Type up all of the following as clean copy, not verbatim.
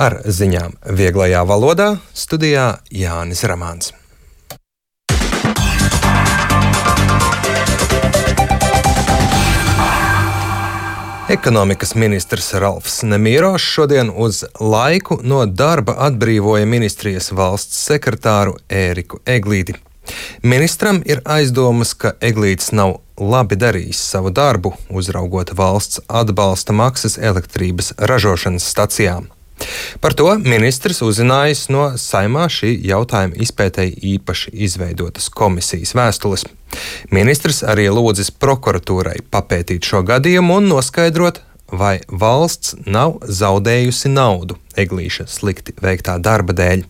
Ar ziņām vieglajā valodā studijā Jānis Ramāns. Ekonomikas ministrs Ralfs Nemīrošs šodien uz laiku no darba atbrīvoja ministrijas valsts sekretāru Ēriku Eglīti. Ministram ir aizdomas, ka Eglītis nav labi darījis savu darbu, uzraugot valsts atbalsta maksas elektrības ražošanas stacijām. Par to ministrs uzzinājis no Saeimā šī jautājuma izpētēji īpaši izveidotas komisijas vēstules. Ministrs arī lūdzis prokuratūrai papētīt šo gadījumu un noskaidrot, vai valsts nav zaudējusi naudu Eglīša slikti veiktā darba dēļ.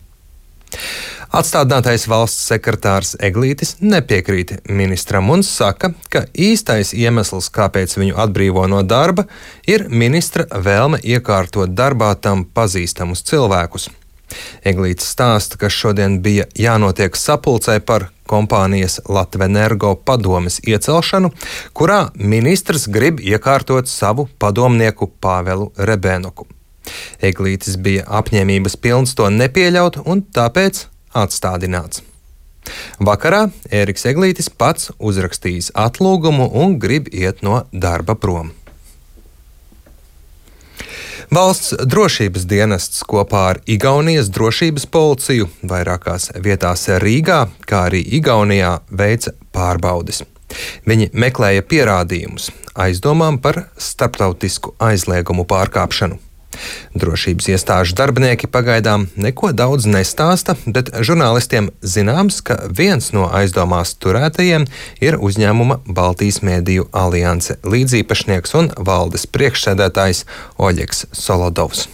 Atstādinātais valsts sekretārs Eglītis nepiekrīt ministram un saka, ka īstais iemesls, kāpēc viņu atbrīvo no darba, ir ministra vēlme iekārtot darbā tam pazīstamus cilvēkus. Eglītis stāsta, ka šodien bija jānotiek sapulcē par kompānijas Latvenergo padomes iecelšanu, kurā ministrs grib iekārtot savu padomnieku Pāvelu Rebēnoku. Eglītis bija apņēmības pilns to nepieļaut un tāpēc atstādināts. Vakarā Ēriks Eglītis pats uzrakstījis atlūgumu un grib iet no darba prom. Valsts drošības dienests kopā ar Igaunijas drošības policiju vairākās vietās Rīgā, kā arī Igaunijā, veica pārbaudes. Viņi meklēja pierādījumus aizdomām par starptautisku aizliegumu pārkāpšanu. Drošības iestāžu darbinieki pagaidām neko daudz nestāsta, bet žurnālistiem zināms, ka viens no aizdomās turētajiem ir uzņēmuma Baltijas Mēdīju alianse līdzīpašnieks un valdes priekšsēdētājs Oļegs Solodovs.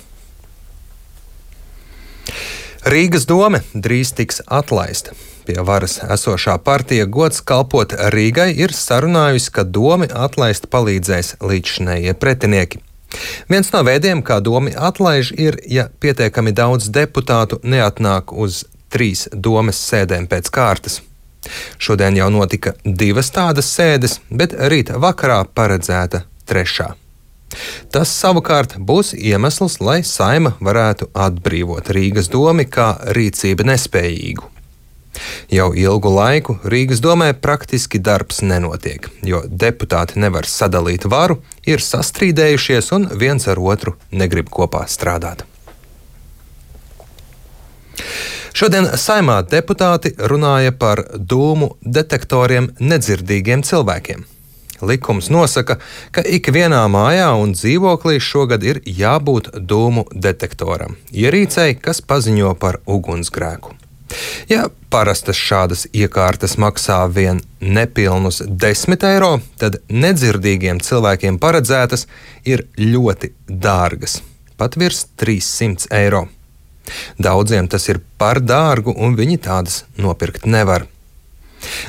Rīgas dome drīz tiks atlaista. Pie varas esošā partija Gods kalpot Rīgai ir sarunājusi, ka domi atlaist palīdzēs līdzšinējie pretinieki. Viens no veidiem, kā domi atlaiž, ir, ja pietiekami daudz deputātu neatnāk uz 3 domes sēdēm pēc kārtas. Šodien jau notika 2 tādas sēdes, bet rīt vakarā paredzēta 3. Tas savukārt būs iemesls, lai Saeima varētu atbrīvot Rīgas domi kā rīcība nespējīgu. Jau ilgu laiku Rīgas domē praktiski darbs nenotiek, jo deputāti nevar sadalīt varu, ir sastrīdējušies un viens ar otru negrib kopā strādāt. Šodien Saeimā deputāti runāja par dūmu detektoriem nedzirdīgiem cilvēkiem. Likums nosaka, ka ikvienā mājā un dzīvoklī šogad ir jābūt dūmu detektoram, ierīcei, kas paziņo par ugunsgrēku. Ja parastas šādas iekārtas maksā vien nepilnus 10 eiro, tad nedzirdīgiem cilvēkiem paredzētas ir ļoti dārgas, pat virs 300 eiro. Daudziem tas ir par dārgu un viņi tādas nopirkt nevar.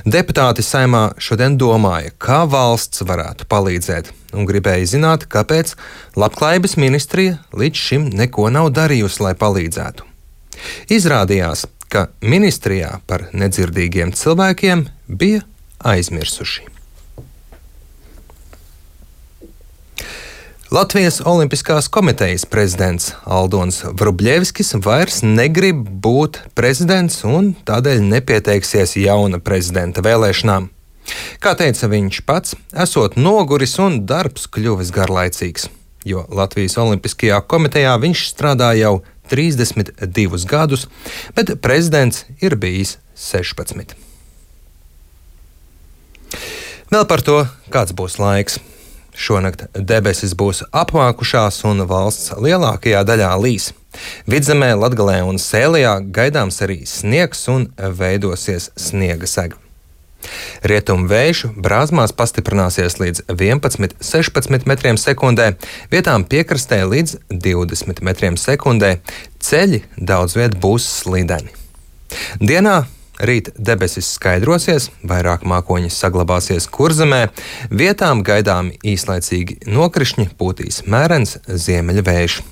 Deputāti Saeimā šodien domāja, kā valsts varētu palīdzēt, un gribēja zināt, kāpēc Labklājības ministrija līdz šim neko nav darījusi, lai palīdzētu. Izrādījās, ka ministrijā par nedzirdīgiem cilvēkiem bija aizmirsuši. Latvijas Olimpiskās komitejas prezidents Aldons Vrubļevskis vairs negrib būt prezidents un tādēļ nepieteiksies jauna prezidenta vēlēšanām. Kā teica viņš pats, esot noguris un darbs kļuvis garlaicīgs, jo Latvijas Olimpiskajā komitejā viņš strādā jau 32 gadus, bet prezidents ir bijis 16. Vēl par to, kāds būs laiks. Šonakt debesis būs apmākušās un valsts lielākajā daļā līs. Vidzemē, Latgalē un Sēlijā gaidāms arī sniegs un veidosies sniega sega. Rietumu vējš Brāzmās pastiprināsies līdz 11–16 metriem sekundē, vietām piekrastē līdz 20 metriem sekundē. Ceļi daudz viet būs slideni. Dienā rīt debesis skaidrosies, vairāk mākoņi saglabāsies Kurzemē, vietām gaidāmi īslaicīgi nokrišņi, pūtīs mērens ziemeļvējš.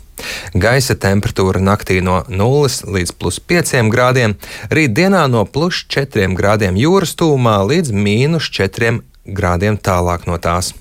Gaisa temperatūra naktī no 0 līdz +5 grādiem, rīt dienā no +4 grādiem jūras tūmā līdz -4 grādiem tālāk no tās.